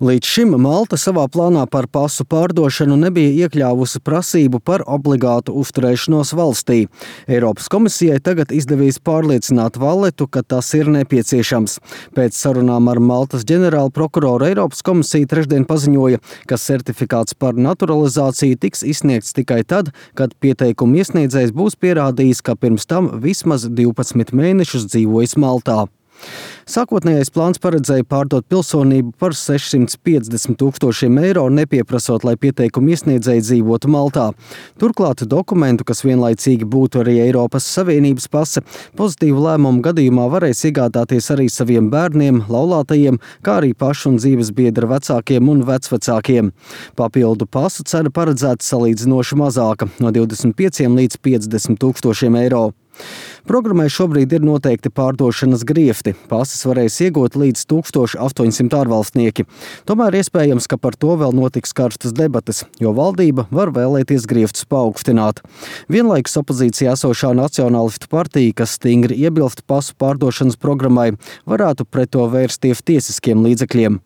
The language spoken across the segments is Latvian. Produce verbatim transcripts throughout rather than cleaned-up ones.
Līdz šim Malta savā plānā par pasu pārdošanu nebija iekļāvusi prasību par obligātu uzturēšanos valstī. Eiropas komisijai tagad izdevies pārliecināt Valletu, ka tas ir nepieciešams. Pēc sarunām ar Maltas ģenerālu prokuroru Eiropas komisija trešdien paziņoja, ka certifikāts par naturalizāciju tiks izsniegts tikai tad, kad pieteikumu iesniedzējs būs pierādījis, ka pirms tam vismaz divpadsmit mēnešus dzīvojis Maltā. Sākotnējais plāns paredzēja pārdot pilsonību par sešsimt piecdesmit tūkstošiem eiro, nepieprasot, lai pieteikumu iesniedzēji dzīvotu Maltā. Turklāt dokumentu, kas vienlaicīgi būtu arī Eiropas Savienības pase, pozitīvu lēmumu gadījumā varēs iegādāties arī saviem bērniem, laulātajiem, kā arī pašu un dzīves biedra vecākiem un vecvecākiem. Papildu pasu cena paredzēta salīdzinoši mazāka – no divdesmit pieciem līdz piecdesmit tūkstošiem eiro. Programmai šobrīd ir noteikti pārdošanas griefti. Pases varēs iegūt līdz tūkstoš astoņsimt ārvalstnieki. Tomēr iespējams, ka par to vēl notiks karstas debates, jo valdība var vēlēties grieftus paaugstināt. Vienlaikus opozīcijā esošā Nacionālistu partija, kas stingri iebilst pasu pārdošanas programmai, varētu pret to vērsties tiesiskiem līdzekļiem.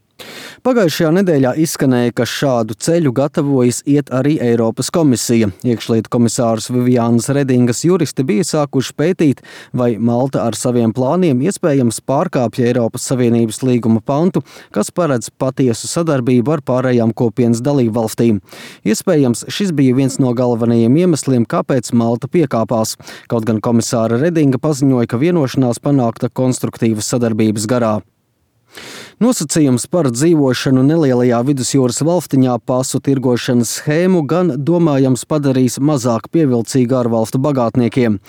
Pagājušajā nedēļā izskanēja, ka šādu ceļu gatavojas iet arī Eiropas komisija. Iekšlietu komisārs Vivianas Redingas juristi bija sākuši pētīt, vai Malta ar saviem plāniem iespējams pārkāpja Eiropas Savienības līguma pantu, kas paredz patiesu sadarbību ar pārējām kopienas dalībvalstīm. Iespējams, šis bija viens no galvenajiem iemesliem, kāpēc Malta piekāpās. Kaut gan komisāra Redinga paziņoja, ka vienošanās panākta konstruktīvas sadarbības garā. Nosacījums par dzīvošanu nelielajā vidusjūras valstiņā pasu tirgošanas schēmu gan domājams padarīs mazāk pievilcīgu ārvalstu bagātniekiem.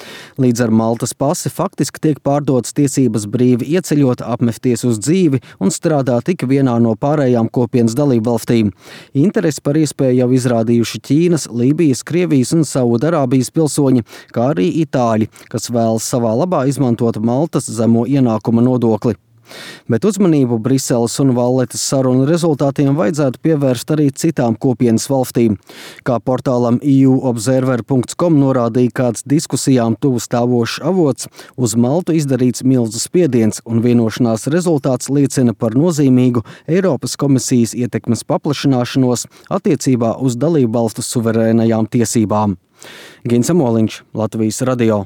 Līdz ar Maltas pasi faktiski tiek pārdotas tiesības brīvi ieceļot, apmesties uz dzīvi un strādāt tik vienā no pārējām kopienas dalībvalstīm. Interesi par iespēju jau izrādījuši Ķīnas, Lībijas, Krievijas un Saudarābijas pilsoņi, kā arī itāļi, kas vēlas savā labā izmantot Maltas zemo ienākuma nodokli. Bet uzmanību Briseles un Valletas sarunu rezultātiem vajadzētu pievērst arī citām kopienas valstīm. Kā portālam e u observer punkts com norādīja kāds diskusijām tuvu stāvošs avots, uz Maltu izdarīts milzu spiediens, un vienošanās rezultāts liecina par nozīmīgu Eiropas komisijas ietekmes paplašināšanos attiecībā uz dalībvalstu suverēnajām tiesībām. Gins Amoliņš, Latvijas radio.